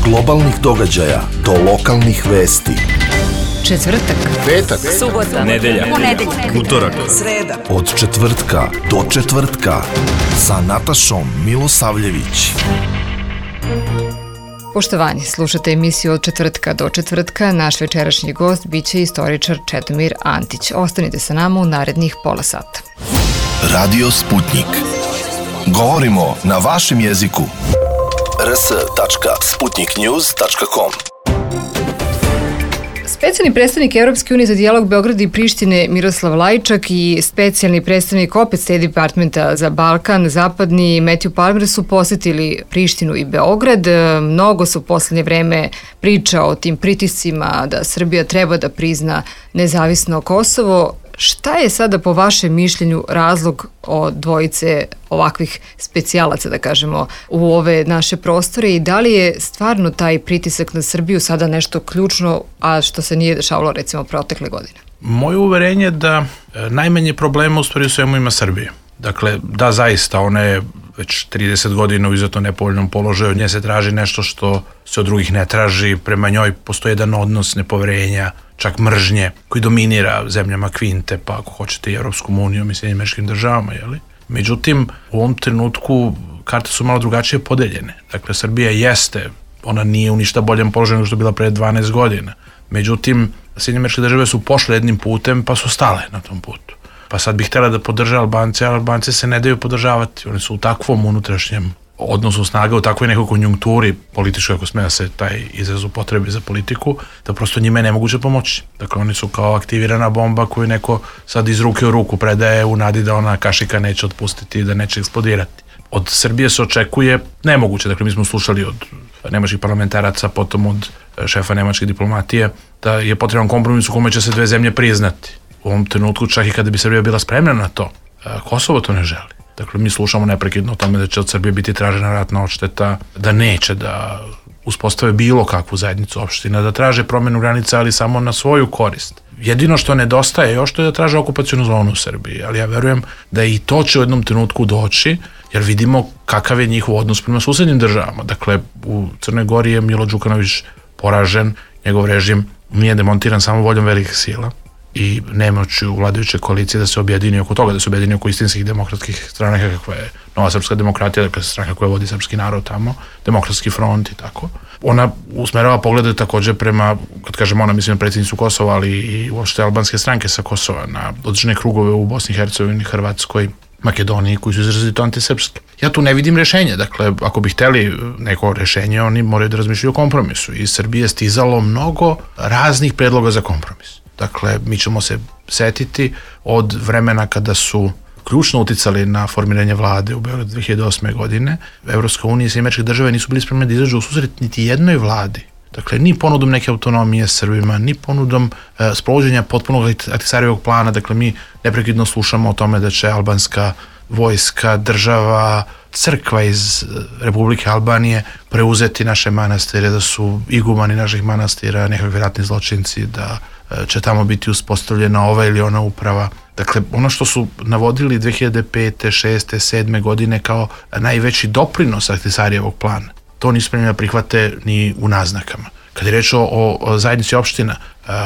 globalnih događaja do lokalnih vesti. Četvrtak, petak, subota, nedelja, utorak, sreda. Od četvrtka do četvrtka sa Natašom Milosavljević. Poštovani, slušate emisiju Od četvrtka do četvrtka. Naš večerašnji gost biće istoričar Čedomir Antić. Ostanite sa nama u narednih pola sata. Radio Sputnik. Govorimo na vašem jeziku. rs.sputniknews.com. Specijalni predstavnik Evropske unije za dijalog Beograda i Prištine Miroslav Lajčak i specijalni predstavnik opet State Departmenta za Balkan Zapadni Matthew Palmer su posetili Prištinu i Beograd. Mnogo su u poslednje vreme priča o tim pritiscima da Srbija treba da prizna nezavisno Kosovo. Šta je sada po vašem mišljenju razlog od dvojice ovakvih specijalaca, da kažemo, u ove naše prostore i da li je stvarno taj pritisak na Srbiju sada nešto ključno, a što se nije dešavalo recimo protekle godine? Moje uverenje je da najmanje problema u stvari u svemu ima Srbija. Dakle, da zaista, ona je već 30 godina u izuzetno nepovoljnom položaju, od nje se traži nešto što se od drugih ne traži, prema njoj postoji jedan odnos nepoverenja, čak mržnje, koji dominira zemljama Kvinte, pa ako hoćete i Evropskom unijom i Sjedinjenim Američkim Državama, jeli? Međutim, u ovom trenutku karte su malo drugačije podeljene. Dakle, Srbija jeste, ona nije u ništa boljem položaju nego što je bila pre 12 godina. Međutim, Sjedinjene Američke Države su pošle jednim putem, pa su stale na tom putu. Pa sad bih htjela da podrža Albance, ali Albance se ne daju podržavati. Oni su u takvom unutrašnjem odnosu snaga, u takvoj nekoj konjunkturi političkoj, ako sme da se taj izraz upotrebi za politiku, da prosto njima je nemoguće pomoći. Dakle, oni su kao aktivirana bomba koju neko sad iz ruke u ruku predaje u nadi da ona kašika neće otpustiti i da neće eksplodirati. Od Srbije se očekuje nemoguće. Dakle, mi smo slušali od nemačkih parlamentaraca, potom od šefa nemačke diplomatije, da je potreban kompromis u kome će se dve zemlje priznati. U ovom trenutku, čak i kada bi Srbija bila spremna na to, Kosovo to ne želi. Dakle, mi slušamo neprekidno o tome da će od Srbije biti tražena ratna odšteta, da neće da uspostave bilo kakvu zajednicu opština, da traže promjenu granica, ali samo na svoju korist. Jedino što nedostaje još to je da traže okupacionu zonu u Srbiji, ali ja verujem da i to će u jednom trenutku doći, jer vidimo kakav je njihov odnos prema susednim državama. Dakle, u Crnoj Gori je Milo Đukanović poražen, njegov režim nije demontiran samo voljom velikih sila i nemoću vladajuće koalicije da se objedini oko toga, da se objedini oko istinskih demokratskih stranaka kakva je Nova srpska demokratija, dakle stranka koja vodi srpski narod tamo, Demokratski front i tako. Ona usmerava poglede takođe prema, kad kažem ona, mislim na predsjednicu Kosova, ali i uopšte albanske stranke sa Kosova, na određene krugove u Bosni i Hercegovini, Hrvatskoj, Makedoniji, koji su izrazito antisrpski. Ja tu ne vidim rešenje, dakle, ako bi hteli neko rešenje, oni moraju da razmišljaju o kompromisu. Iz Srbije je stizalo mnogo raznih predloga za kompromis. Dakle, mi ćemo se setiti od vremena kada su ključno uticali na formiranje vlade u Beogradu 2008. godine. Evropska unija i Sjedinjene Američke Države nisu bili spremni da izađu u susret niti jednoj vladi. Dakle, ni ponudom neke autonomije Srbima, ni ponudom sprovođenja potpunog Ahtisarijevog plana. Dakle, mi neprekidno slušamo o tome da će albanska vojska, država, crkva iz Republike Albanije preuzeti naše manastire, da su igumani naših manastira nekakvi ratni zločinci, da će tamo biti uspostavljena ova ili ona uprava. Dakle, ono što su navodili 2005. 6. 7. godine kao najveći doprinos Ahtisarijevog plana, to nisu spremni da prihvate ni u naznakama. Kad je reč o zajednici opština,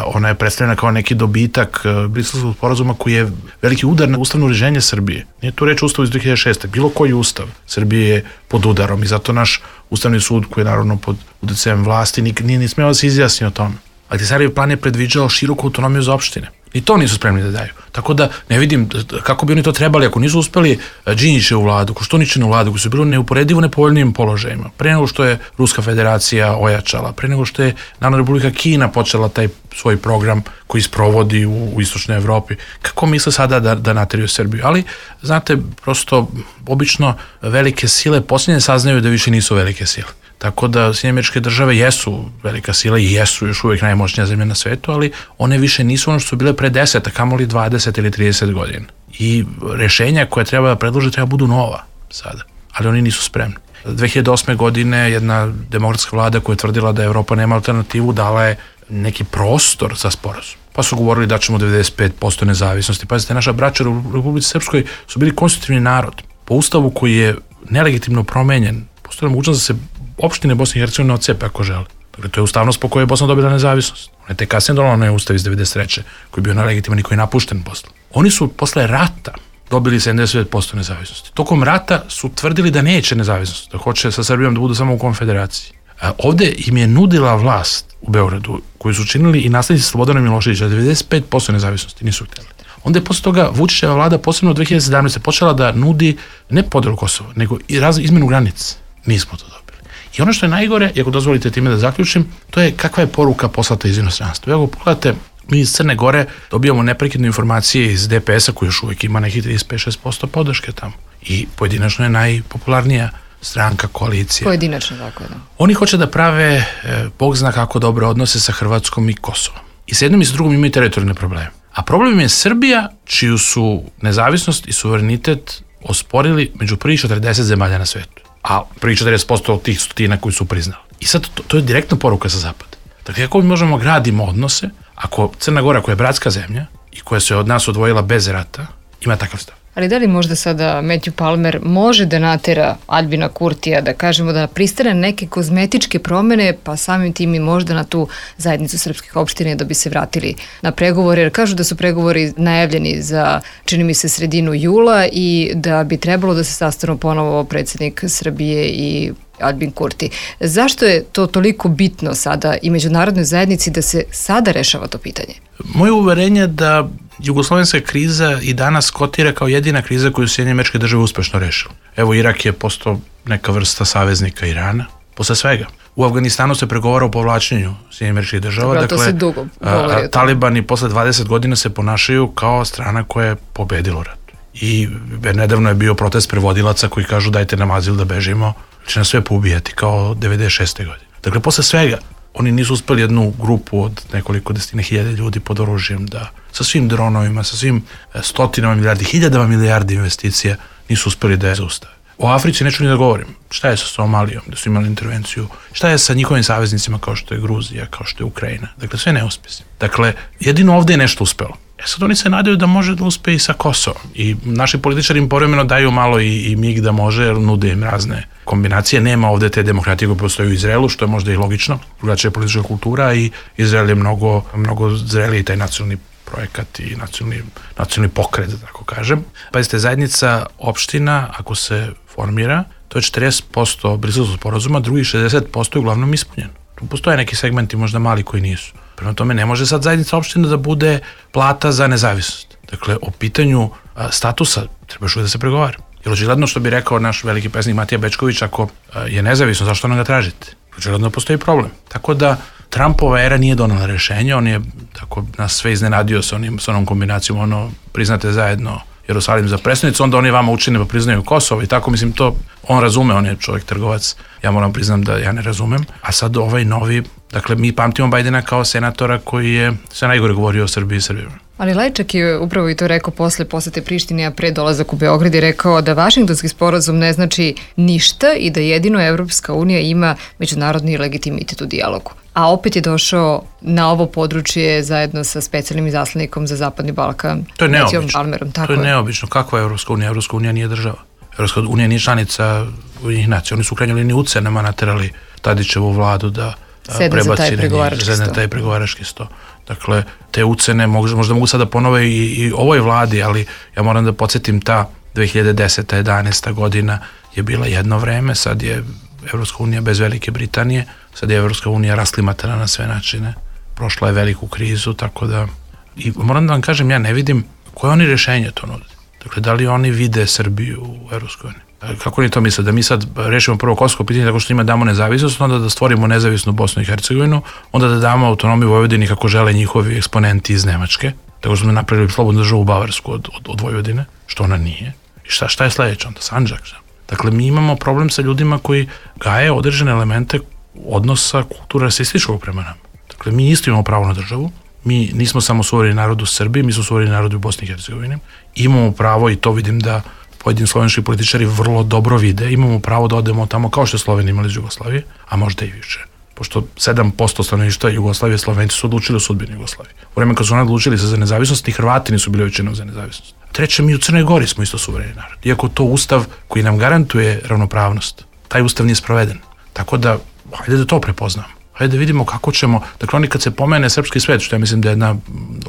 ona je predstavljena kao neki dobitak Briselskog sporazuma koji je veliki udar na ustavno uređenje Srbije. Nije tu reč o ustavu iz 2006. Bilo koji ustav Srbije je pod udarom i zato naš ustavni sud, koji je naravno pod uticajem vlasti, nije ni smeo da se izjasni o tome. Ahtisarijev plan je predviđao široku autonomiju za opštine. I to nisu spremni da daju. Tako da ne vidim kako bi oni to trebali ako nisu uspeli Đinđićevu vladu, Koštuničinu vladu, koji su bili neuporedivo nepovoljnijim položajima. Pre nego što je Ruska federacija ojačala, pre nego što je Narodna Republika Kina počela taj svoj program koji sprovodi u istočnoj Evropi. Kako misle sada da nateraju Srbiju? Ali, znate, prosto obično velike sile posljednje saznaju da više nisu velike sile. Tako da Sjedinjene Američke Države jesu velika sila i jesu još uvijek najmoćnija zemlja na svetu, ali one više nisu ono što su bile pre 10, a kamoli 20 ili 30 godina. I rešenja koje treba da predlože treba budu nova sada, ali oni nisu spremni. 2008. godine jedna demokratska vlada koja je tvrdila da Evropa nema alternativu dala je neki prostor za sporazum. Pa su govorili da ćemo 95% nezavisnosti. Pazite, naša braća u Republici Srpskoj su bili konstitutivni narod. Po ustavu koji je nelegitimno promenjen, postoji mogućnost da se opštine Bosne i Hercegovine odcepe ako žele. Dakle, to je ustavnost po kojoj je Bosna dobila nezavisnost. Ona je te kasnije donala onaj ustav iz 93. koji je bio nelegitiman i koji je napušten posle. Oni su posle rata dobili 79% nezavisnosti. Tokom rata su tvrdili da neće nezavisnost, da hoće sa Srbijom da budu samo u konfederaciji. A ovde im je nudila vlast u Beogradu, koju su činili i naslednici Slobodana Miloševića, 95% nezavisnosti, nisu htjeli. Onda je posle toga Vučićeva vlada, posebno u 2017. počela da nudi ne podelu Kosova, nego i izmenu granice. Nismo to dobili. I ono što je najgore, i ako dozvolite time da zaključim, to je kakva je poruka poslata iz inostranstva. Evo, pogledajte, mi iz Crne Gore dobijamo neprekidne informacije iz DPS-a koji još uvijek ima nekih 35-6% podrške tamo. I pojedinačno je najpopularnija stranka, koalicija. Pojedinačno, tako da. Oni hoće da prave, Bog zna kako dobre odnose sa Hrvatskom i Kosovom. I s jednom i s drugom imaju teritorijalne probleme. A problem je Srbija, čiju su nezavisnost i suverenitet osporili među prvih 40 zemalja na svetu. A prvih 40% od tih stotina koji su priznali. I sad to je direktna poruka sa zapada. Dakle, kako mi možemo gradimo odnose ako Crna Gora, koja je bratska zemlja i koja se od nas odvojila bez rata, ima takav stav? Ali da li možda sada Matthew Palmer može da natera Albina Kurtija, da kažemo da pristane neke kozmetičke promene, pa samim tim i možda na tu zajednicu srpskih opština da bi se vratili na pregovore, jer kažu da su pregovori najavljeni za, čini mi se, sredinu jula i da bi trebalo da se sastanu ponovo predsjednik Srbije i Albin Kurti. Zašto je to toliko bitno sada i međunarodnoj zajednici da se sada rešava to pitanje? Moje uverenje da jugoslovenska kriza i danas kotira kao jedina kriza koju Sjedinjene Američke Države uspešno rešila. Evo, Irak je postao neka vrsta saveznika Irana, posle svega. U Afganistanu se pregovara o povlačenju Sjedinjenih Američkih Država. Dakle, to se dugo govori. Talibani posle 20 godina se ponašaju kao strana koja je pobedila rat. I nedavno je bio protest prevodilaca koji kažu dajte nam azil da bežimo, će nas sve poubijati kao 96. godine. Dakle, posle svega, oni nisu uspeli jednu grupu od nekoliko desetine hiljade ljudi pod oružjem da sa svim dronovima, sa svim stotinama milijardi, hiljadama milijardi investicija nisu uspeli da je zaustave. O Africi neću ni da govorim. Šta je sa Somalijom, da su imali intervenciju? Šta je sa njihovim saveznicima kao što je Gruzija, kao što je Ukrajina? Dakle, sve neuspesi. Dakle, jedino ovde je nešto uspelo. Sad oni se nadaju da može da uspe i sa Kosovom. I naši političari im povremeno daju malo i mig da može, jer nude im razne kombinacije. Nema ovde te demokratije koje postoje u Izraelu, što je možda i logično. Drugačija je politička kultura i Izrael je mnogo zreliji taj nacionalni projekat i nacionalni pokret, da tako kažem. Pazite, zajednica opština, ako se formira, to je 40% Briselskog sporazuma, drugih 60% je uglavnom ispunjeno. Tu postoje neki segmenti, možda mali, koji nisu. Prema tome, ne može sad zajednica opština da bude plata za nezavisnost. Dakle, o pitanju statusa treba još uvijek da se pregovara. Jer očigledno, što bi rekao naš veliki pesnik Matija Bečković, ako je nezavisno, zašto nam ga tražite? Očigledno postoji problem. Tako da, Trumpova era nije donala rešenje, on je tako nas sve iznenadio sa onom kombinacijom, priznate zajedno Jerusalim za prestonicu, onda oni vama učine pa priznaju Kosovo i tako, mislim, to on razume, on je čovjek trgovac, ja moram priznam da ja ne razumem, a sad ovaj novi, dakle, mi pamtimo Bajdena kao senatora koji je sve najgore govorio o Srbiji i Srbima. Ali Lajčak je upravo i to rekao posle posete Prištine, a pre dolazak u Beograd, je rekao da Vašingtonski sporazum ne znači ništa i da jedino Evropska unija ima međunarodni legitimitet u dijalogu. A opet je došao na ovo područje zajedno sa specijalnim izaslanikom za Zapadni Balkan. To je neobično. To je neobično. Kakva je Evropska unija? Evropska unija nije država. Evropska unija nije članica Ujedinjenih nacija. Oni su u krajnjoj liniji ucenama naterali Tadićevu vladu da prebaci na taj pregovarački sto. Dakle, te ucene možda mogu sada ponove i ovoj vladi, ali ja moram da podsjetim, ta 2010. 11. godina je bila jedno vreme, sad je Evropska unija bez Velike Britanije, sad je Evropska unija rasklimatana na sve načine, prošla je veliku krizu, tako da, i moram da vam kažem, ja ne vidim koje oni rešenje to nude. Dakle, da li oni vide Srbiju u Evropskoj uniji? Kako oni to misle? Da mi sad rešimo prvo kosovo pitanje tako što njima damo nezavisnost, onda da stvorimo nezavisnu Bosnu i Hercegovinu, onda da damo autonomiju Vojvodini kako žele njihovi eksponenti iz Nemačke, tako što smo napravili slobodnu državu Bavarsku od Vojvodine, što ona nije. I šta je sledeće onda? Sandžak. Dakle, mi imamo problem sa ljudima koji gaje određene elemente odnosa kultura rasističkog prema nama. Dakle, mi isto imamo pravo na državu, mi nismo samo suvereni narod u Srbiji, mi smo suvereni narod u Bosni i Hercegovini. Imamo pravo, i to vidim da pojedini slovenski političari vrlo dobro vide, imamo pravo da odemo tamo kao što je Slovenija imala iz Jugoslavije, a možda i više. Pošto 7% stanovništva Jugoslavije, Slovenci su odlučili o sudbini Jugoslavije. U vreme kad su oni odlučili se za nezavisnost, ni Hrvati nisu bili većinom za nezavisnost. Treće, mi u Crnoj Gori smo isto suvereni narod. Iako to ustav koji nam garantuje ravnopravnost, taj ustav nije sproveden. Tako da, hajde da to prepoznamo. Hajde da vidimo kako ćemo, dakle oni kad se pomene srpski svet, što ja mislim da je jedna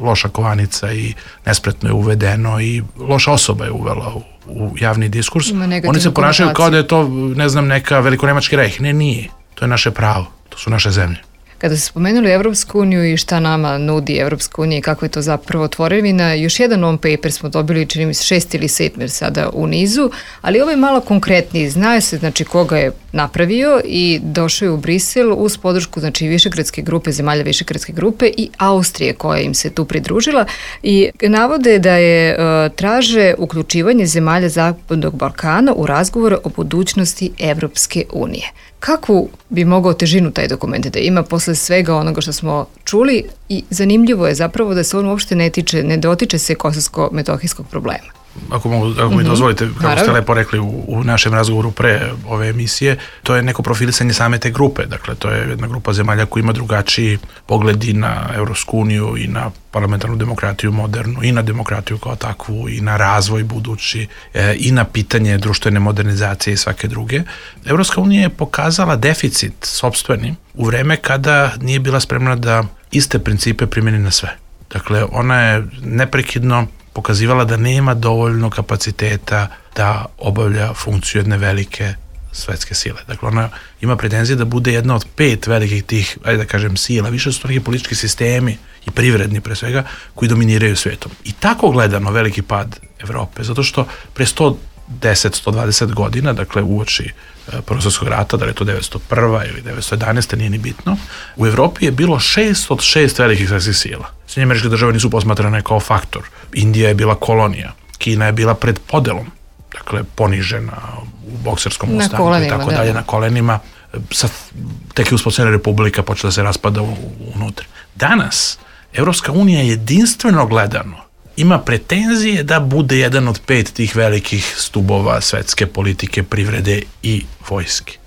loša kovanica i nespretno je uvedeno i loša osoba je uvela u javni diskurs, oni se ponašaju kao da je to, ne znam, neka velikonemački rejh. Ne, nije. To je naše pravo. To su naše zemlje. Kada ste spomenuli Evropsku uniju i šta nama nudi Evropska unija i kako je to zapravo tvorevina, još jedan non-paper smo dobili, čini mi se 6 ili 7 sada u nizu, ali ovo je malo konkretniji. Zna se znači koga je napravio i došao je u Brisel uz podršku znači Višegradske grupe, zemalja Višegradske grupe i Austrije koja im se tu pridružila i navode da je traže uključivanje zemalja Zapadnog Balkana u razgovore o budućnosti Evropske unije. Kakvu bi mogao težinu taj dokument da ima posle svega onoga što smo čuli i zanimljivo je zapravo da se on uopšte ne dotiče se kosovsko-metohijskog problema. Ako mi dozvolite, kako ste lepo rekli u našem razgovoru pre ove emisije, to je neko profilisanje same te grupe. Dakle, to je jedna grupa zemalja koja ima drugačiji pogledi na Evropsku uniju i na parlamentarnu demokratiju modernu, i na demokratiju kao takvu, i na razvoj budući, i na pitanje društvene modernizacije i svake druge. Evropska unija je pokazala deficit sopstveni u vreme kada nije bila spremna da iste principe primeni na sve. Dakle, ona je neprekidno pokazivala da nema dovoljno kapaciteta da obavlja funkciju jedne velike svetske sile. Dakle, ona ima pretenzije da bude jedna od 5 velikih tih, ajde da kažem, sila, više su to neki politički sistemi i privredni pre svega, koji dominiraju svijetom. I tako gledano veliki pad Evrope, zato što pre 110-120 godina, dakle uoči Prvog svjetskog rata, da li je to 901. ili 911. nije ni bitno, u Evropi je bilo 6 od 6 velikih svetskih sila. Sjedinjene Američke Države nisu posmatrane kao faktor. Indija je bila kolonija. Kina je bila pred podelom, dakle ponižena u bokserskom ustanku i tako dalje, na kolenima. Tek je uspostavljena republika, počela da se raspada unutra. Danas, Evropska unija jedinstveno gledano ima pretenzije da bude jedan od 5 tih velikih stubova svetske politike, privrede i vojske.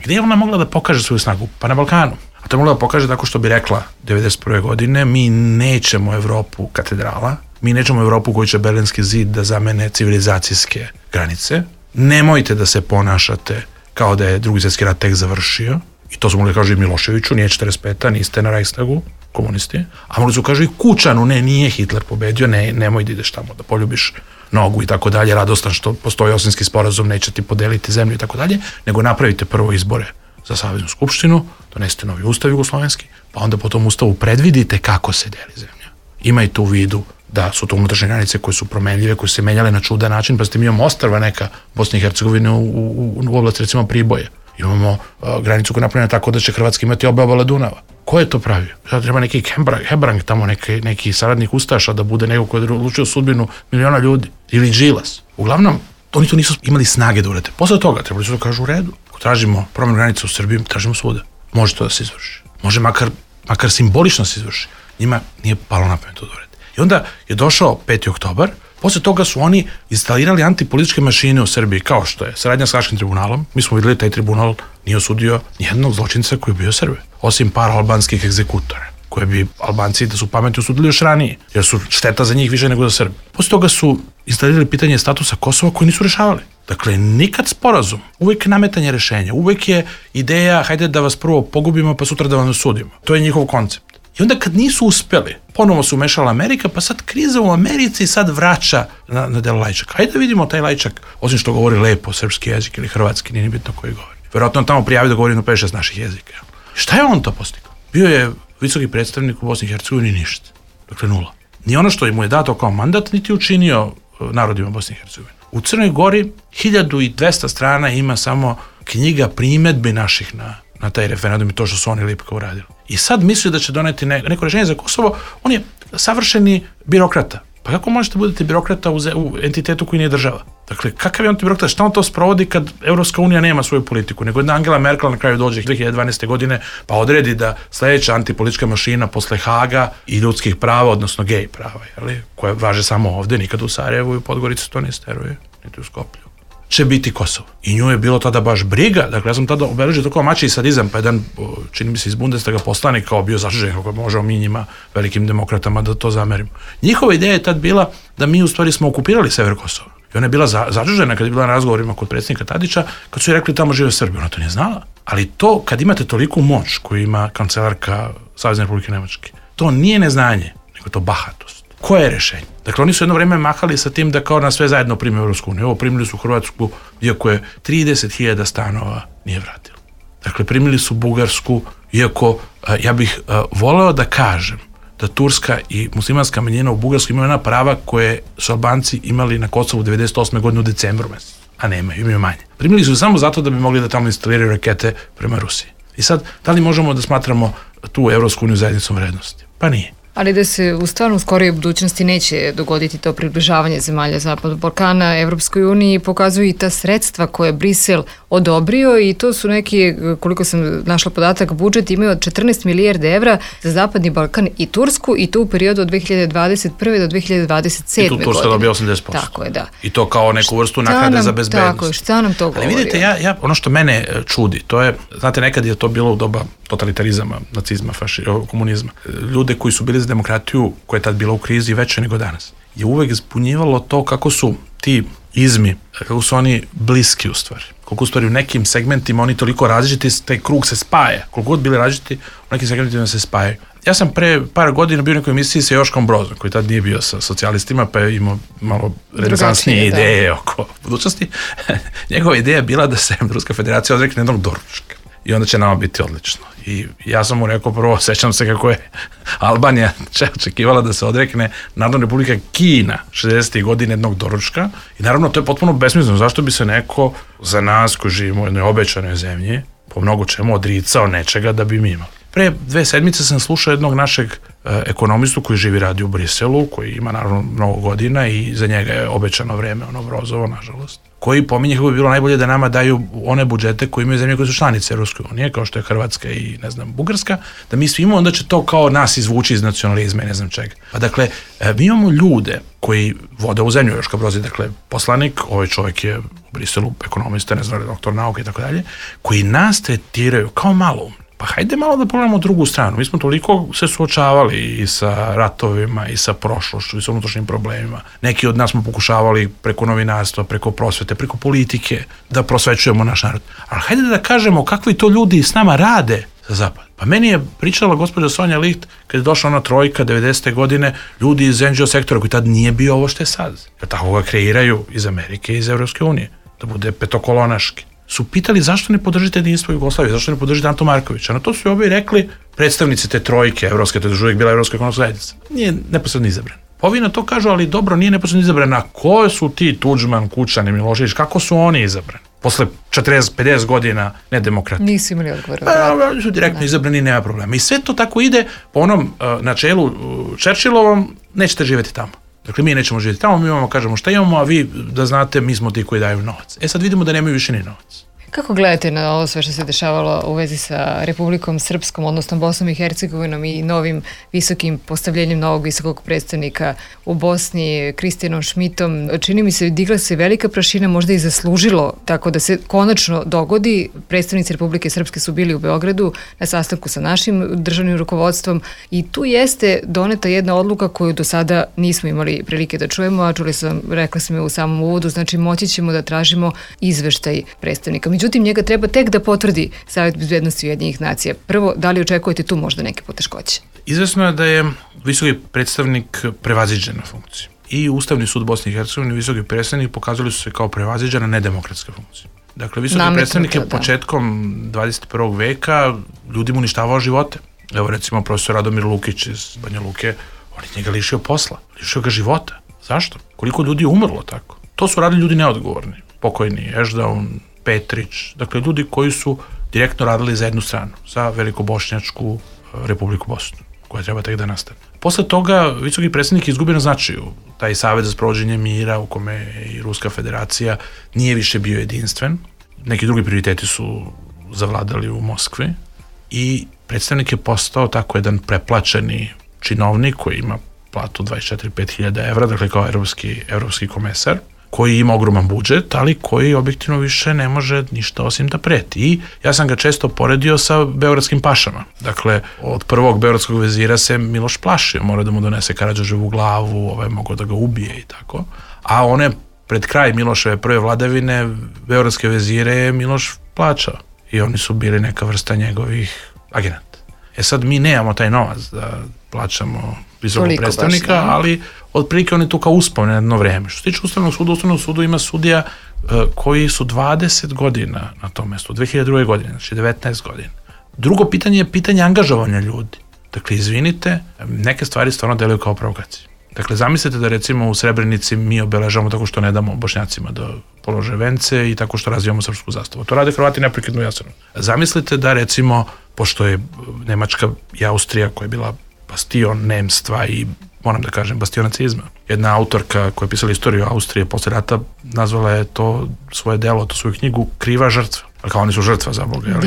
Gdje je ona mogla da pokaže svoju snagu? Pa na Balkanu. A to je mogla da pokaže tako što bi rekla 1991. godine, mi nećemo Evropu katedrala, mi nećemo Evropu koju će Berlinski zid da zamene civilizacijske granice, nemojte da se ponašate kao da je Drugi svjetski rat tek završio, i to su mogli kažu i Miloševiću, nije 45. niste na Reichstagu, komunisti, a mogli su kažu i Kučanu, ne, nije Hitler pobedio, nemoj da ideš tamo da poljubiš nogu i tako dalje, radostan što postoji Osimski sporazum, neće ti podeliti zemlju i tako dalje, nego napravite prvo izbore za Saveznu skupštinu, donesite novi ustav jugoslovenski, pa onda po tom ustavu predvidite kako se deli zemlja. Imajte u vidu da su to unutrašnje granice koje su promenljive, koje su se menjale na čudan način, pa ste mi imamo ostrva neka Bosne i Hercegovine u oblasti recimo Priboje. Imamo granicu koja je napravljena tako da će Hrvatska imati obe obale Dunava. Ko je to pravio? Sada treba neki Hebrang tamo, neki saradnik ustaša da bude neko koji je odlučio sudbinu miliona ljudi. Ili Đilas. Uglavnom, oni to nisu imali snage da urede. Posle toga trebali su da kažu u redu. Ako tražimo promjenu granice u Srbiji, tražimo svuda. Može to da se izvrši. Može makar simbolično se izvrši. Njima nije palo na pamet to da urede. I onda je došao 5. oktobar. Posle toga su oni instalirali antipolitičke mašine u Srbiji, kao što je saradnja s Haškim tribunalom. Mi smo videli taj tribunal nije osudio nijednog zločinca koji je bio Srbe, osim par albanskih egzekutora, koje bi Albanci da su pametni osudili još ranije, jer su šteta za njih više nego za Srbe. Posle toga su instalirali pitanje statusa Kosova koji nisu rešavali. Dakle, nikad sporazum, uvek nametanje rešenja, uvek je ideja hajde da vas prvo pogubimo pa sutra da vam sudimo. To je njihov koncept. I onda kad nisu uspeli, ponovo se umešala Amerika, pa sad kriza u Americi sad vraća na delo Lajčaka. Hajde da vidimo taj Lajčak, osim što govori lepo srpski jezik ili hrvatski, nije ni bitno koji govori. Verovatno on tamo prijavio da govori na 5-6 naših jezika. Šta je on to postigao? Bio je visoki predstavnik u Bosni i Hercegovini, ništa. Dakle, nula. Ni ono što mu je dato kao mandat, niti učinio narodima Bosne i Hercegovine. U Crnoj Gori 1200 strana ima samo knjiga primedbi naših na taj referendum i to što su oni lipko uradili. I sad misli da će doneti neko rešenje za Kosovo, on je savršeni birokrata. Pa kako možete budete birokrata u entitetu koji nije država? Dakle, kakav je on birokrata? Šta on to sprovodi kad Evropska unija nema svoju politiku? Nego jedna Angela Merkel na kraju dođe 2012. godine pa odredi da sledeća antipolitička mašina posle Haga i ljudskih prava, odnosno gej prava, koje važe samo ovde, nikad u Sarajevu i u Podgorici to ne steruje, niti u Skoplju, će biti Kosovo. I nju je bilo tada baš briga, dakle ja sam tada obeležio to kao mačiji sadizam, pa jedan, čini mi se iz Bundestaga poslanik kao bio zaštižen kako možemo mi njima, velikim demokratama, da to zamerimo. Njihova ideja je tad bila da mi u stvari smo okupirali sever Kosova I ona je bila začuđena kad je bila na razgovorima kod predsjednika Tadića, kad su joj rekli tamo žive Srbi, ona to nije znala. Ali to, kad imate toliku moć koju ima kancelarka Savezne Republike Nemačke, to nije neznanje, nego to bahatost. Koje je rešenje? Dakle, oni su jedno vreme mahali sa tim da kao na sve zajedno prime Evropsku uniju. Ovo primili su Hrvatsku, iako je 30.000 stanova nije vratilo. Dakle, primili su Bugarsku, iako ja bih voleo da kažem da turska i muslimanska manjina u Bugarskoj imaju ona prava koje su Albanci imali na Kosovu 98. godine u decembru mesecu, a imaju manje. Primili su samo zato da bi mogli da tamo instaliraju rakete prema Rusiji. I sad, da li možemo da smatramo tu Evropsku uniju zajednicom vrednosti? Pa nije. Ali da se u stvarno skorijoj budućnosti neće dogoditi to približavanje zemalja Zapadnog Balkana Evropskoj uniji, pokazuju i ta sredstva koje Brisel odobrio i to su neki, koliko sam našla podatak, budžet imaju od 14 milijardi evra za Zapadni Balkan i Tursku i to u periodu od 2021. do 2027. I tu Turska dobija 80%. Tako je, da. I to kao neku vrstu naknade za bezbednost. Tako je, šta nam to govori? Ali vidite, ono što mene čudi, to je, znate, nekad je to bilo u doba totalitarizama, nacizma, komunizma. Ljude koji su bili za demokratiju, koja je tad bila u krizi veće nego danas, je uvek zbunjivalo to kako su ti izmi, kako su oni bliski u stvari. Koliko u stvari u nekim segmentima oni toliko različiti, taj krug se spaja. Koliko god bili različiti, u nekim segmentima se spajaju. Ja sam pre par godina bio u nekoj emisiji sa Joškom Brozom, koji tad nije bio sa socijalistima, pa je imao malo renesansnije ideje oko budućnosti. Njegova ideja je bila da se Ruska federacija odrekne jednog doručka. I onda će nama biti odlično. I ja sam mu rekao prvo, sećam se kako je Albanija očekivala da se odrekne Narodna Republika Kina 60. godine jednog doručka. I naravno to je potpuno besmisleno. Zašto bi se neko za nas koji živimo u jednoj obećanoj zemlji po mnogo čemu odricao nečega da bi mi imali. Pre 2 sedmice sam slušao jednog našeg ekonomistu koji živi radi u Briselu, koji ima naravno mnogo godina i za njega je obećano vreme, Brozovo, nažalost, koji pominje kako bi bilo najbolje da nama daju one budžete koje imaju zemlje koje su članice Evropske unije, kao što je Hrvatska i, Bugarska, da mi svi imamo, onda će to kao nas izvući iz nacionalizma i ne znam čega. Pa dakle, mi imamo ljude koji vode u zemlju, Joška Broz je, dakle, poslanik, ovaj čovjek je u Briselu ekonomista, doktor nauke i tako dalje, koji nas tretiraju kao malo. Pa hajde malo da pogledamo drugu stranu. Mi smo toliko se suočavali i sa ratovima i sa prošlošću i sa unutrašnjim problemima. Neki od nas smo pokušavali preko novinarstva, preko prosvete, preko politike da prosvećujemo naš narod. Ali hajde da kažemo kakvi to ljudi s nama rade za zapad. Pa meni je pričala gospođa Sonja Licht kad je došla ona trojka 90. godine, ljudi iz NGO sektora koji tad nije bio ovo što je sad. Jer tako ga kreiraju iz Amerike i iz Evropske unije. Da bude petokolonaški. Su pitali zašto ne podržite jedinstvo Jugoslavije, zašto ne podržite Anto Markovića. Na to su oboje rekli predstavnici te trojke evropske, to je uvijek bila Evropska ekonomska zajednica. Nije neposredno izabran. Ovi na to kažu, ali dobro, nije neposredno izabran. A ko su ti Tuđman, Kučan i Milošević, kako su oni izabrani? Posle 40-50 godina nedemokratije. Nisu imali odgovor. Oni su direktno izabrani, nema problema. I sve to tako ide po onom načelu Churchillovom, nećete živjeti tamo. Dakle, mi nećemo živjeti tamo, mi imamo, kažemo šta imamo, a vi, da znate, mi smo ti koji daju novac. Sad vidimo da nemaju više ni novac. Kako gledate na ovo sve što se dešavalo u vezi sa Republikom Srpskom, odnosno Bosnom i Hercegovinom i novim visokim postavljenjem novog visokog predstavnika u Bosni, Kristijanom Šmitom? Čini mi se, digla se velika prašina, možda i zaslužilo tako da se konačno dogodi. Predstavnici Republike Srpske su bili u Beogradu na sastanku sa našim državnim rukovodstvom i tu jeste doneta jedna odluka koju do sada nismo imali prilike da čujemo, a rekla sam je u samom uvodu, znači moći ćemo da tražimo izveštaj predstavnika. Međutim, njega treba tek da potvrdi Savet bezbednosti Ujedinjenih nacija. Prvo, da li očekujete tu možda neke poteškoće? Izvesno je da je visoki predstavnik prevaziđen na funkciju. I Ustavni sud Bosne i Hercegovine i visoki predstavnik pokazali su se kao prevaziđena nedemokratska funkcija. Dakle, visoki predstavnik je početkom 21. veka ljudima uništavao živote. Evo, recimo, profesor Radomir Lukić iz Banja Luke, on je njega lišio posla, lišio ga života. Zašto? Koliko ljudi je umrlo tako? To su radili ljudi neodgovorni. Pokojni Ešdaun, Petrić, dakle ljudi koji su direktno radili za jednu stranu, za Velikobošnjačku Republiku Bosnu, koja treba tek da nastane. Posle toga visoki predstavnik je izgubio na značaju. Taj Savet za sprovođenje mira u kome i Ruska federacija nije više bio jedinstven. Neki drugi prioriteti su zavladali u Moskvi i predstavnik je postao tako jedan preplaćeni činovnik koji ima platu 24-5 hiljada evra, dakle kao evropski komesar, koji ima ogroman budžet, ali koji objektivno više ne može ništa osim da preti. I ja sam ga često poredio sa beogradskim pašama. Dakle, od prvog beogradskog vezira se Miloš plašio, mora da mu donese Karađorđevu glavu, mogao da ga ubije i tako. A one pred kraj Miloševe prve vladavine beogradske vezire je Miloš plaćao i oni su bili neka vrsta njegovih agenata. Sad mi nemamo taj novac da plaćamo visokog predstavnika, ali otprilike on je tu kao uspao na jedno vreme. Što se tiče Ustavnog sudu ima sudija koji su 20 godina na tom mestu, 2002. godine, znači 19 godina. Drugo pitanje je pitanje angažovanja ljudi. Dakle, izvinite, neke stvari stvarno deluju kao provokacije. Dakle, zamislite da recimo u Srebrenici mi obeležavamo tako što ne damo Bošnjacima da polože vence i tako što razvijamo srpsku zastavu. To rade Hrvati neprekidno jasno. Zamislite da recimo, pošto je Nemačka i Austrija koja je bila bastion nemstva i moram da kažem bastion nacizma. Jedna autorka koja je pisala istoriju Austrije posle rata nazvala je to svoje delo, to svoju knjigu Kriva žrtva. Kao oni su žrtva za Boga.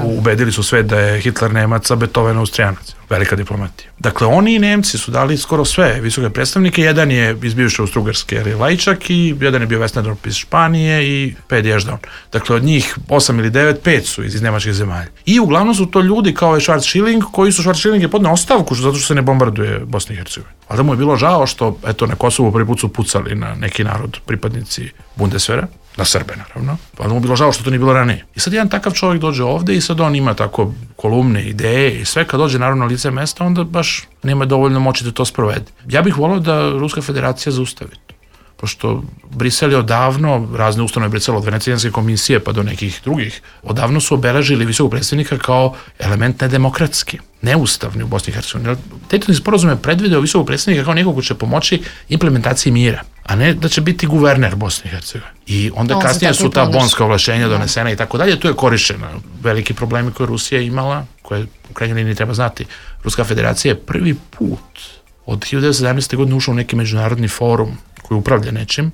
Ubedili su sve da je Hitler Nemac, a Beethoven Austrijanac. Velika diplomatija. Dakle, oni i Nemci su dali skoro sve visoke predstavnike. Jedan je iz bivše Austrougarske Lajčak i jedan je bio Westendorp iz Španije i 5 Ježdaun. Dakle, od njih 8 ili 9, 5 su iz nemačkih zemalja. I uglavnom su to ljudi kao je Schwarzschilling, koji su Schwarzschilling je podneo ostavku zato što se ne bombarduje Bosna i Hercegovina. Ali da mu je bilo žao što, eto, na Kosovu prvi put su pucali na neki narod, pripadnici Bundeswehra, na Srbe naravno, pa da mu bilo žao što to nije bilo ranije. I sad jedan takav čovjek dođe ovde i sad on ima tako kolumne, ideje i sve, kad dođe naravno na lice mesta, onda baš nema dovoljno moći da to sprovede. Ja bih volio da Ruska federacija zaustavi to. Pošto Brisel je odavno, razne ustanove Brisel od Venecijanske komisije pa do nekih drugih, odavno su obeležili visokog predstavnika kao element nedemokratski, neustavni u Bosni i Hercegovini. Dejtonski sporazum je predvideo visokog predstavnika kao nekog ko će pomoći implementaciji mira, a ne da će biti guverner Bosne i Hercegovine. I onda kasnije su ta bonska ovlašćenja donesena i tako dalje, tu je korišćena veliki problemi koje Rusija imala, koje u krajnjoj liniji treba znati. Ruska federacija je prvi put od 1917. godine ušao u neki međunarodni forum koji upravlja nečim,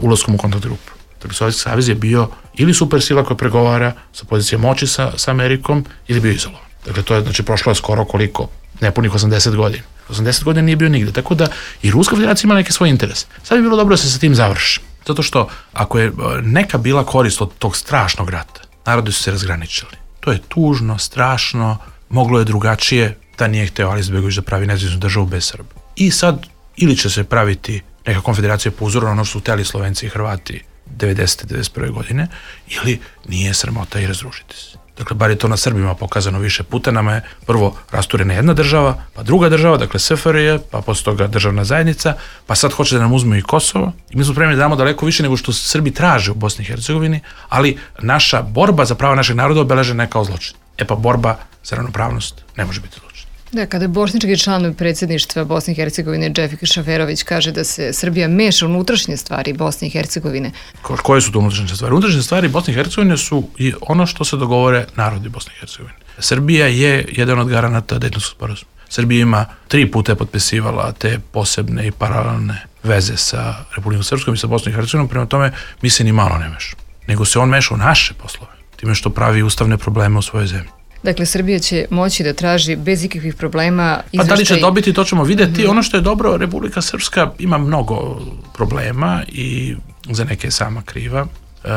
ulaskom u kontakt grupu. Dakle, Sovjetski savez je bio ili supersila koja pregovara sa pozicije moći sa Amerikom ili bio izolovan. Dakle, to je, znači, prošlo je skoro koliko? Nepunih 80 godina. 80 godina nije bio nigde, tako da i Ruska federacija ima neke svoje interese. Sad bi bilo dobro da se sa tim završi. Zato što ako je neka bila korist od tog strašnog rata, narodi su se razgraničili. To je tužno, strašno, moglo je drugačije da nije hteo Alija Izetbegović da pravi nezavisnu državu bez Srba. I sad ili će se praviti neka konfederacija po uzoru na ono što su hteli Slovenci i Hrvati 90. 91. godine, ili nije sramota i razružiti se. Dakle, bar je to na Srbima pokazano više puta. Nama je prvo rasturena jedna država, pa druga država, dakle SFRJ, pa posle toga državna zajednica, pa sad hoće da nam uzmu i Kosovo. I mi smo spremni da damo daleko više nego što Srbi traže u Bosni i Hercegovini, ali naša borba za prava našeg naroda obeležena je kao zločin. Pa borba za ravnopravnost ne može biti zločin. Da, kada bošnjački član predsjedništva Bosne i Hercegovine Džefika Šaferović kaže da se Srbija meša u unutrašnje stvari Bosne i Hercegovine. Koje su to unutrašnje stvari? Unutrašnje stvari Bosne i Hercegovine su i ono što se dogovore narodi Bosne i Hercegovine. Srbija je jedan od garanata Dejtonskog sporazuma. Srbija ima 3 puta potpisivala te posebne i paralelne veze sa Republikom Srpskom i sa Bosnom i Hercegovinom, prema tome mi se ni malo ne meša. Nego se on meša u naše poslove, time što pravi ustavne probleme u svojoj zemlji. Dakle, Srbija će moći da traži bez ikakvih problema izveštaj... Pa da li će dobiti, to ćemo vidjeti. Ono što je dobro, Republika Srpska ima mnogo problema i za neke je sama kriva.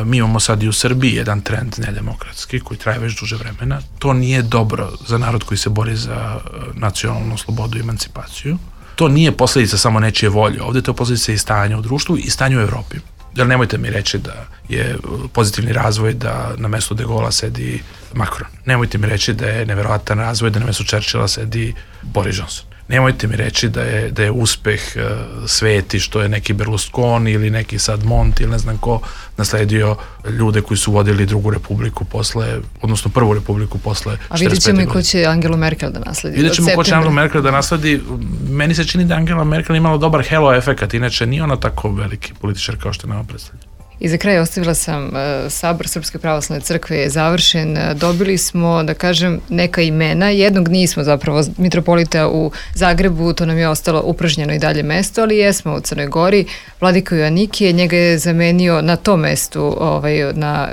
Mi imamo sad i u Srbiji jedan trend nedemokratski koji traje već duže vremena. To nije dobro za narod koji se bori za nacionalnu slobodu i emancipaciju. To nije posljedica samo nečije volje. Ovdje to je posljedica i stanja u društvu i stanja u Evropi. Jer nemojte mi reći da je pozitivni razvoj da na mestu De Gaulle'a sedi Macron. Nemojte mi reći da je neverovatan razvoj da na mestu Churchilla sedi Boris Johnson. Nemojte mi reći da je uspeh sveti što je neki Berlusconi ili neki sad Monti ili ne znam ko nasledio ljude koji su vodili drugu republiku posle, odnosno prvu republiku posle 45. godine. A vidjet ćemo i ko će Angelu Merkel da nasledi. Vidjet ćemo ko će Angelu Merkel da nasledi. Meni se čini da Angela Merkel imala dobar halo efekat, inače nije ona tako veliki političar kao što nama predstavlja. I za kraj ostavila sam Sabor Srpske pravoslavne crkve je završen. Dobili smo, da kažem, neka imena. Jednog nismo zapravo, mitropolita u Zagrebu, to nam je ostalo upražnjeno i dalje mesto, ali jesmo u Crnoj Gori. Vladika Joanikije, njega je zamenio na tom mestu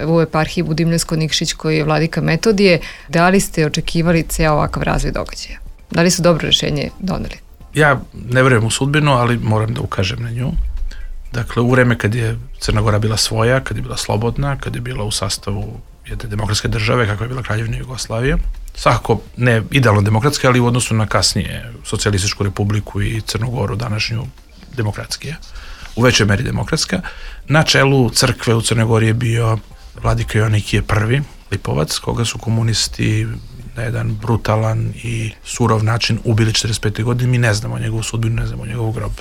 u eparhiji Budimljansko-Nikšić koji je vladika Metodije. Da li ste očekivali ceo ovakav razvoj događaja? Da li su dobro rešenje doneli? Ja ne verujem u sudbinu, ali moram da ukažem na nju. Dakle, u vreme kad je Crna Gora bila svoja, kad je bila slobodna, kad je bila u sastavu jedne demokratske države, kakva je bila Kraljevina Jugoslavija, svakako ne idealno demokratske, ali u odnosu na kasnije Socijalističku republiku i Crnu Goru, današnju demokratskije, u većoj meri demokratska. Na čelu crkve u Crnoj Gori je bio vladika Joanikije I, Lipovac, koga su komunisti na jedan brutalan i surov način ubili 45. godine. Mi ne znamo njegovu sudbinu, ne znamo njegov grob.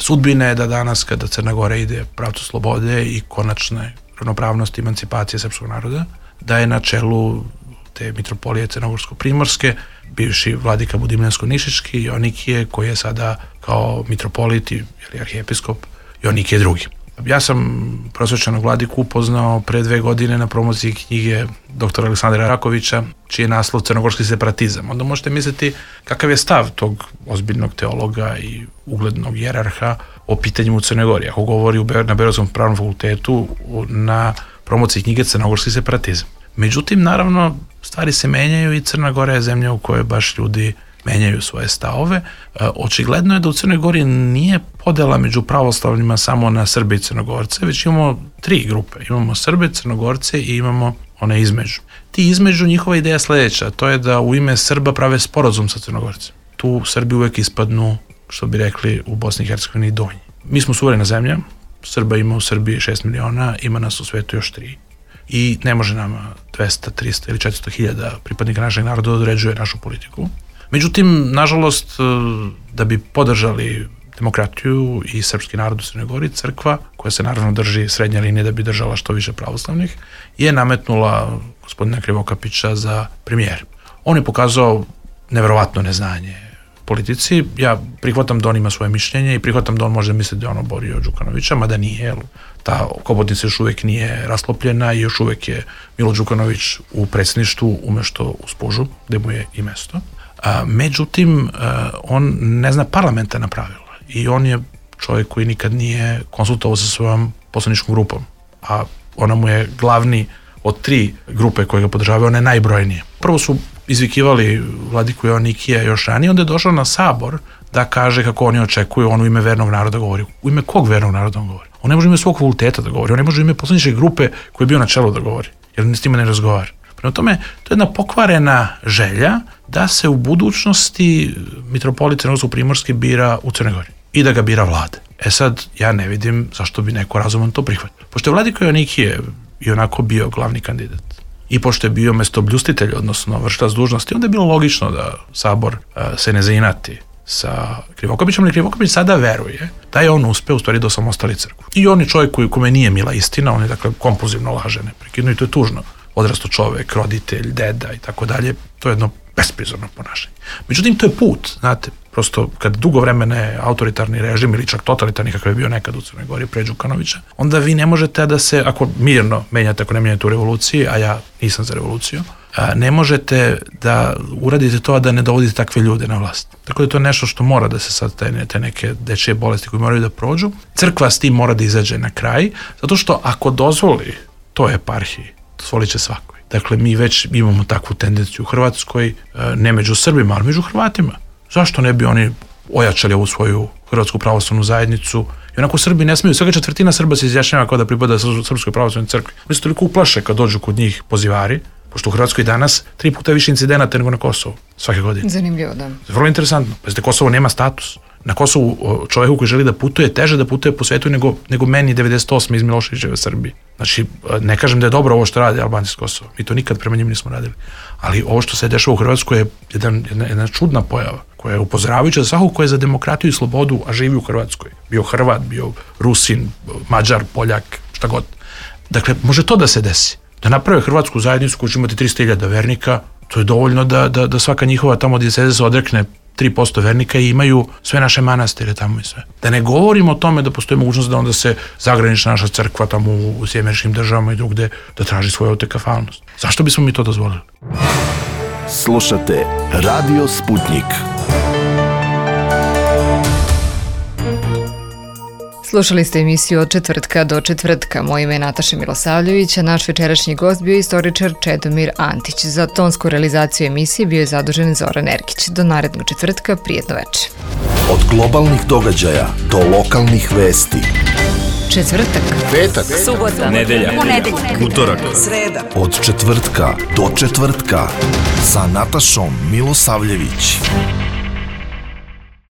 Sudbina je da danas, kada Crna Gora ide pravcu slobode i konačne ravnopravnosti, emancipacije srpskog naroda, da je na čelu te mitropolije Crnogorsko-primorske bivši vladika Budimljansko-Nišički Joanikije, koji je sada kao mitropolit ili arhijepiskop Joanikije II. Ja sam prosvečanog vladiku upoznao pre 2 godine na promociji knjige dr. Aleksandra Rakovića, čiji je naslov Crnogorski separatizam. Onda možete misliti kakav je stav tog ozbiljnog teologa i uglednog jerarha o pitanju u Crnoj Gori. Ako govori na Beogradskom pravnom fakultetu na promociji knjige Crnogorski separatizam. Međutim, naravno, stvari se menjaju i Crna Gora je zemlja u kojoj baš ljudi menjaju svoje stavove. Očigledno je da u Crnoj Gori nije podela među pravoslavnima samo na Srbe i Crnogorce, već imamo 3 grupe. Imamo Srbe, Crnogorce i imamo one između. Ti između, njihova ideja je sledeća, to je da u ime Srba prave sporazum sa Crnogorcem. Tu Srbi uvek ispadnu, što bi rekli u Bosni i Hercegovini, donji. Mi smo suverena zemlja, Srba ima u Srbiji 6 miliona, ima nas u svetu još 3. I ne može nama 200, 300 ili 400 hiljada pripadnika našeg naroda da određuje našu politiku. Međutim, nažalost, da bi podržali demokratiju i srpski narod u Crnoj Gori, crkva, koja se naravno drži srednje linije da bi držala što više pravoslavnih, je nametnula gospodina Krivokapića za premijer. On je pokazao neverovatno neznanje politici. Ja prihvatam da on ima svoje mišljenje i prihvatam da on može misliti da je on oborio Đukanovića, mada nije, jer ta hobotnica još uvek nije rasklopljena i još uvek je Milo Đukanović u predsjedništvu umešto u Spužu, gde mu je i mesto. Međutim, on ne zna parlamentarna pravila i on je čovjek koji nikad nije konsultovao sa svojom poslaničkom grupom, a ona mu je glavni od 3 grupe koje ga podržavaju, one najbrojnije. Prvo su izvikivali vladiku Joanikija još ranije, onda je došao na sabor da kaže kako oni očekuju, on u ime vernog naroda govori. U ime kog vernog naroda on govori? On ne može u ime svog fakulteta da govori, on ne može u ime poslaničke grupe koji je bio na čelu da govori, jer s njima ne razgovara. Prema tome, to je jedna pokvarena želja da se u budućnosti mitropolit Crnogorsko-primorski bira u Crnoj Gori i da ga bira vlada. Sad, ja ne vidim zašto bi neko razuman to prihvatio. Pošto je vladika Joanikije i onako bio glavni kandidat i pošto je bio mestobljustitelj, odnosno vršilac dužnosti, onda je bilo logično da sabor se ne zainati sa Krivokapićem, ali Krivokapić sada veruje da je on uspeo u stvari da osamostali crkvu. I on je čovjek kome nije mila istina, on je dakle kompulzivno laže neprekidno i to je tužno. Odrasto čovek, roditelj, deda i tako dalje, to je jedno besprizorno ponašanje. Međutim, to je put, znate, prosto kad dugo vremena autoritarni režim ili čak totalitarni kakav je bio nekad u Crnoj Gori pre Đukanovića, onda vi ne možete da se, ako mirno menjate, ako ne menjate u revoluciji, a ja nisam za revoluciju, ne možete da uradite to, a da ne dovodite takve ljude na vlast. Tako da to je nešto što mora da se sad te neke dečije bolesti koje moraju da prođu. Crkva s tim mora da izađe na kraj, zato što ako dozvoli toj eparhiji, dozvolit će svakoj. Dakle, mi već imamo takvu tendenciju u Hrvatskoj, ne među Srbima, ali među Hrvatima. Zašto ne bi oni ojačali ovu svoju Hrvatsku pravoslavnu zajednicu? I onako Srbi ne smiju, svega 1/4 Srba se izjašnjava kao da pripada Srpskoj pravoslavnoj crkvi. Oni se toliko uplaše kad dođu kod njih pozivari, pošto u Hrvatskoj danas 3 puta više incidenata nego na Kosovu, svake godine. Zanimljivo, da. Vrlo interesantno. Pazite, Kosovo nema status. Na Kosovu čovjeku koji želi da putuje, teže da putuje po svetu nego meni 98. iz Miloševićeve Srbije. Znači, ne kažem da je dobro ovo što rade Albanci s Kosova. Mi to nikad prema njima nismo radili. Ali ovo što se dešava u Hrvatskoj je jedna čudna pojava, koja je upozoravajuća za svakog ko je za demokratiju i slobodu, a živi u Hrvatskoj. Bio Hrvat, bio Rusin, Mađar, Poljak, šta god. Dakle, može to da se desi. Da naprave hrvatsku zajednicu koja će imati 300.000 vernika, to je dovoljno da svaka njihova tamo dijeceza se odrekne 3% vernika i imaju sve naše manastire tamo i sve. Da ne govorimo o tome da postoji mogućnost da onda se zagranična naša crkva tamo u Sjedinjenim Američkim Državama i drugde da traži svoju autokefalnost. Zašto bismo mi to dozvolili? Slušate Radio Sputnik. Slušali ste emisiju Od četvrtka do četvrtka. Moje ime je Nataša Milosavljević, a naš večerašnji gost bio je istoričar Čedomir Antić. Za tonsku realizaciju emisije bio je zadužen Zoran Erkić. Do narednog četvrtka, prijetno večer. Od globalnih događaja do lokalnih vesti. Četvrtak, Petak, subota, nedelja, ponedeljak, utorak, sreda. Od četvrtka do četvrtka sa Natašom Milosavljević.